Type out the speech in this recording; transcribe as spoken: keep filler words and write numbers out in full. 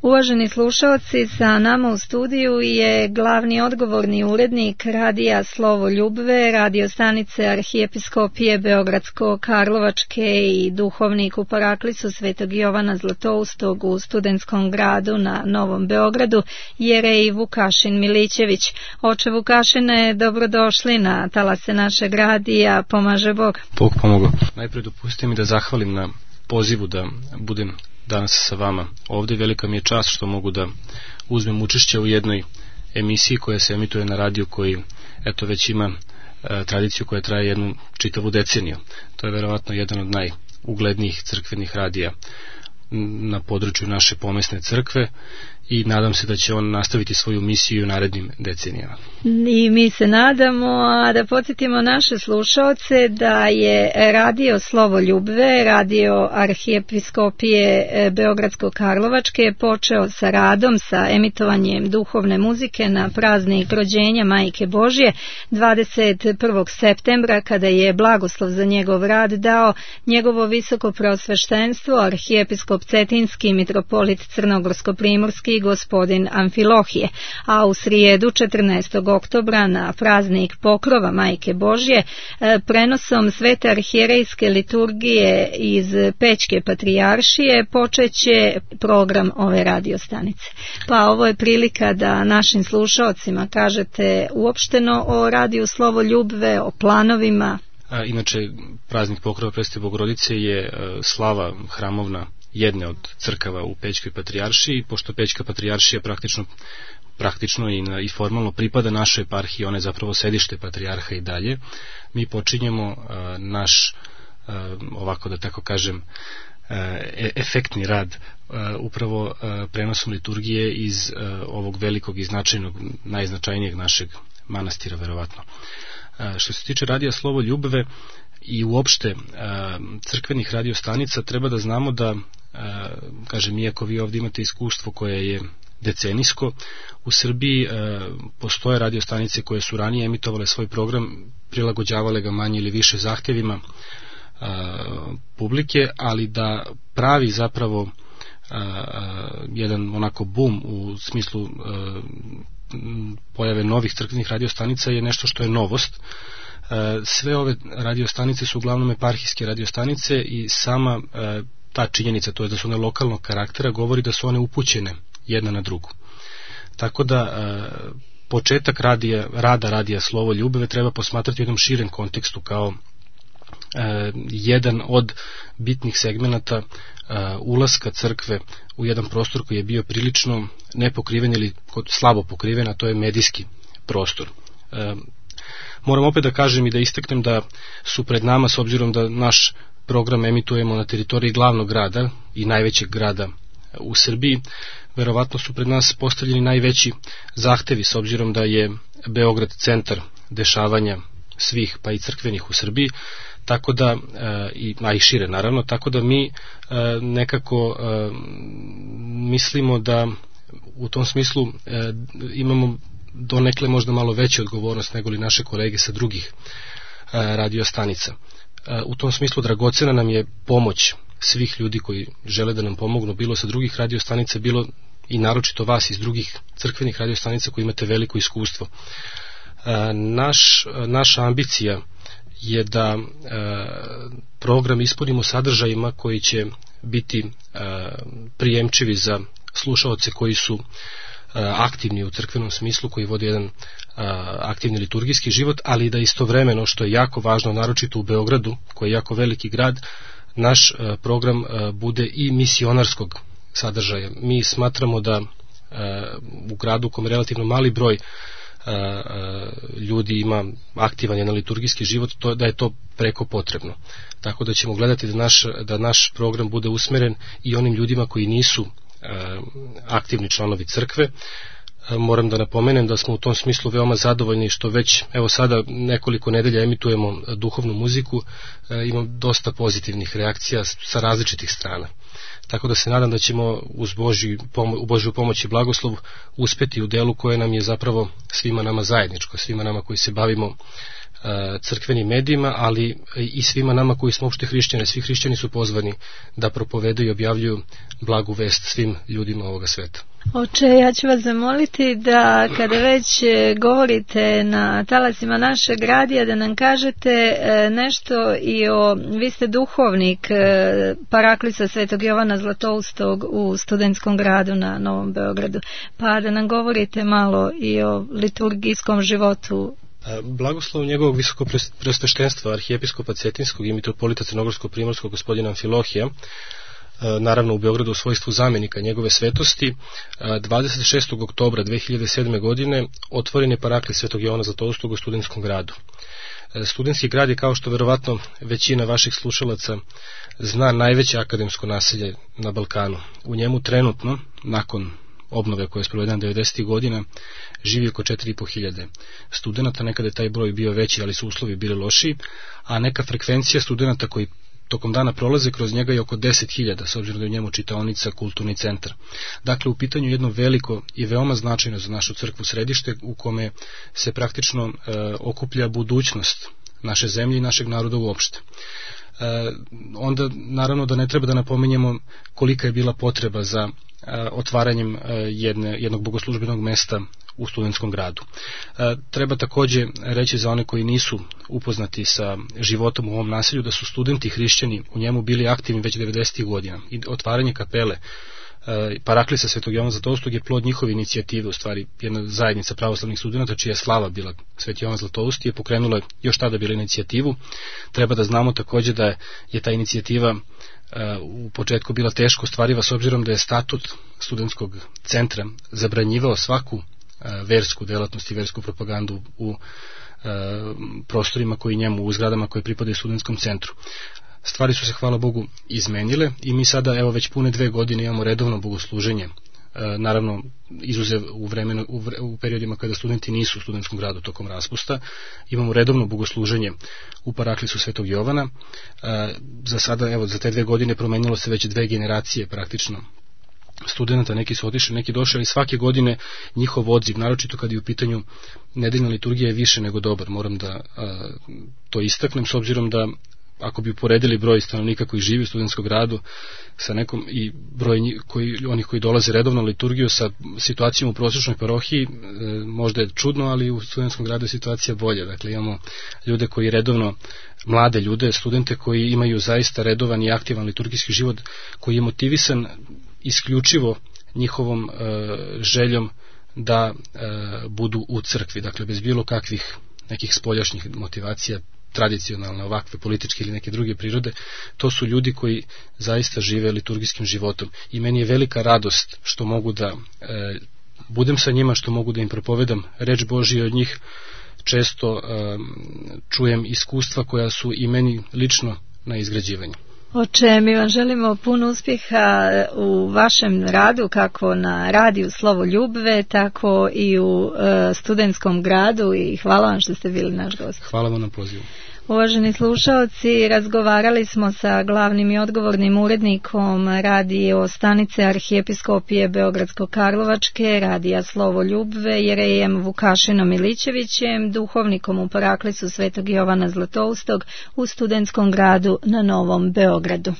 Uvaženi slušalci, sa nama u studiju je glavni odgovorni urednik radija Slovo Ljubve, radio stanice Arhijepiskopije Beogradsko-Karlovačke i duhovnik u Paraklisu Svetog Jovana Zlatoustog u Studentskom gradu na Novom Beogradu, Jerej Vukašin Milićević. Oče Vukašine, dobrodošli na talase našeg radija, pomaže Bog. Bog pomogao. Najprije dopustite mi da zahvalim na pozivu da budem danas sa vama ovdje. Velika mi je čast što mogu da uzmem učešće u jednoj emisiji koja se emituje na radiju koji eto već ima e, tradiciju koja traje jednu čitavu deceniju. To je verovatno jedan od najuglednijih crkvenih radija na području naše pomesne crkve i nadam se da će on nastaviti svoju misiju u narednim decenijama. I mi se nadamo, a da podsjetimo naše slušaoce da je radio Slovo Ljubve, radio Arhijepiskopije Beogradsko-Karlovačke, počeo sa radom, sa emitovanjem duhovne muzike na praznik rođenja Majke Božje dvadeset prvog septembra, kada je blagoslov za njegov rad dao njegovo visoko preosveštenstvo arhijepiskop Cetinski mitropolit Crnogorsko-primorski gospodin Amfilohije, a u srijedu četrnaestog oktobra na praznik Pokrova Majke Božje prenosom svete arhijerejske liturgije iz Pećke patrijaršije počeće program ove radiostanice. Pa ovo je prilika da našim slušaocima kažete uopšteno o radiju Slovo Ljubve, o planovima. A, inače, praznik Pokrova Presvete Bogorodice je slava hramovna jedne od crkava u Pećkoj patrijaršiji, pošto Pećka patrijaršija praktično, praktično i, na, i formalno pripada našoj eparhiji, ona je zapravo sedište patrijarha i dalje. Mi počinjemo uh, naš, uh, ovako da tako kažem, uh, e- efektni rad uh, upravo uh, prenosom liturgije iz uh, ovog velikog i značajnog, najznačajnijeg našeg manastira, verovatno. Uh, što se tiče radija Slovo Ljubve i uopšte crkvenih radiostanica, treba da znamo da, kažem, iako vi ovdje imate iskustvo koje je decenijsko, u Srbiji postoje radiostanice koje su ranije emitovale svoj program, prilagođavale ga manje ili više zahtjevima publike, ali da pravi zapravo jedan onako boom u smislu pojave novih crkvenih radiostanica je nešto što je novost. Sve ove radiostanice su uglavnom eparhijske radiostanice i sama ta činjenica, to je da su one lokalnog karaktera, govori da su one upućene jedna na drugu. Tako da početak radija, rada radija Slovo Ljubve treba posmatrati u jednom širem kontekstu kao jedan od bitnih segmenata ulaska crkve u jedan prostor koji je bio prilično nepokriven ili slabo pokriven, a to je medijski prostor. Moram opet da kažem i da istaknem da su pred nama, s obzirom da naš program emitujemo na teritoriji glavnog grada i najvećeg grada u Srbiji, verovatno su pred nas postavljeni najveći zahtevi, s obzirom da je Beograd centar dešavanja svih, pa i crkvenih u Srbiji, tako da, i, a i šire naravno, tako da mi nekako mislimo da u tom smislu imamo donekle možda malo veću odgovornost nego li naše kolege sa drugih a, radiostanica. A, u tom smislu dragocena nam je pomoć svih ljudi koji žele da nam pomognu, bilo sa drugih radiostanica, bilo i naročito vas iz drugih crkvenih radiostanica koji imate veliko iskustvo. A, naš, naša ambicija je da a, program ispunimo sadržajima koji će biti a, prijemčivi za slušaoce koji su aktivni u crkvenom smislu, koji vodi jedan a, aktivni liturgijski život, ali da istovremeno, što je jako važno, naročito u Beogradu, koji je jako veliki grad, naš a, program a, bude i misionarskog sadržaja. Mi smatramo da a, u gradu u kom relativno mali broj a, a, ljudi ima aktivan jedan liturgijski život, to, da je to preko potrebno. Tako da ćemo gledati da naš, da naš program bude usmeren i onim ljudima koji nisu aktivni članovi crkve. Moram da napomenem da smo u tom smislu veoma zadovoljni što već evo sada nekoliko nedelja emitujemo duhovnu muziku, imam dosta pozitivnih reakcija sa različitih strana. Tako da se nadam da ćemo uz Božju, u Božju pomoć i blagoslov uspeti u delu koje nam je zapravo svima nama zajedničko, svima nama koji se bavimo crkvenim medijima, ali i svima nama koji smo uopšte hrišćani. Svi hrišćani su pozvani da propovedaju i objavljuju blagu vest svim ljudima ovoga sveta. Oče, ja ću vas zamoliti da kada već govorite na talasima našeg radija da nam kažete nešto i o, vi ste duhovnik Paraklisa Svetog Jovana Zlatoustog u Studentskom gradu na Novom Beogradu, pa da nam govorite malo i o liturgijskom životu. Blagoslov njegovog visokopreosveštenstva arhijepiskopa Cetinskog i mitropolita Crnogorsko-primorskog gospodina Amfilohija, naravno u Beogradu u svojstvu zamjenika njegove svetosti, dvadeset šestog oktobra dve hiljade sedme. godine otvoren je Paraklis Svetog Jovana Zlatoustog u Studentskom gradu. Studentski grad je, kao što verovatno većina vaših slušalaca zna, najveće akademsko naselje na Balkanu. U njemu trenutno, nakon obnove koja je sprovedena devedesetih godina, živi oko četiri i po hiljade studenta. Nekada je taj broj bio veći, ali su uslovi bili lošiji, a neka frekvencija studenta koji tokom dana prolaze kroz njega je oko deset hiljada, s obzirom da je u njemu čitaonica, kulturni centar. Dakle, u pitanju jedno veliko i veoma značajno za našu crkvu središte u kome se praktično e, okuplja budućnost naše zemlje i našeg naroda uopšte. E, onda naravno da ne treba da napominjemo kolika je bila potreba za e, otvaranjem e, jedne, jednog bogoslužbenog mesta u Studentskom gradu. E, treba takođe reći za one koji nisu upoznati sa životom u ovom naselju da su studenti hrišćani u njemu bili aktivni već devedesetih godina i otvaranje kapele e, Paraklisa Svetog Jovana Zlatoustog je plod njihove inicijative, u stvari jedna zajednica pravoslavnih studenta čija je slava bila Sveti Jovan Zlatoust je pokrenula još tada bila inicijativu. Treba da znamo takođe da je ta inicijativa u početku bila teško ostvariva s obzirom da je statut studentskog centra zabranjivao svaku versku delatnost i versku propagandu u prostorima koji njemu, u zgradama koje pripadaju studentskom centru. Stvari su se, hvala Bogu, izmenile i mi sada, evo, već pune dve godine imamo redovno bogosluženje, naravno izuzev u, vremenu, u, vre, u periodima kada studenti nisu u studentskom gradu tokom raspusta, imamo redovno bogosluženje u Paraklisu Svetog Jovana. Za sada, evo, za te dve godine promenilo se već dve generacije praktično studenta, neki su otišli, neki došli, ali svake godine njihov odziv, naročito kad je u pitanju nedeljna liturgija, je više nego dobar. Moram da a, to istaknem, s obzirom da ako bi uporedili broj stanovnika koji živi u studentskom gradu sa nekom i broj koji, onih koji dolaze redovno na liturgiju sa situacijom u prosječnoj parohiji, e, možda je čudno, ali u studentskom gradu je situacija bolja. Dakle, imamo ljude koji redovno, mlade ljude, studente koji imaju zaista redovan i aktivan liturgijski život, koji je motivisan isključivo njihovom e, željom da e, budu u crkvi, dakle bez bilo kakvih nekih spoljašnjih motivacija, tradicionalne, ovakve, političke ili neke druge prirode. To su ljudi koji zaista žive liturgijskim životom i meni je velika radost što mogu da e, budem sa njima, što mogu da im propovedam reč Božije. Od njih često e, čujem iskustva koja su i meni lično na izgrađivanju. Oče, mi vam želimo puno uspjeha u vašem radu, kako na radiju Slovo Ljubve, tako i u e, Studentskom gradu, i hvala vam što ste bili naš gost. Hvala vam na pozivu. Uvaženi slušaoci, razgovarali smo sa glavnim i odgovornim urednikom radio stanice Arhijepiskopije Beogradsko-Karlovačke, radija Slovo Ljubve, jerejem Vukašinom Milićevićem, duhovnikom u Paraklisu Svetog Jovana Zlatoustog u Studentskom gradu na Novom Beogradu.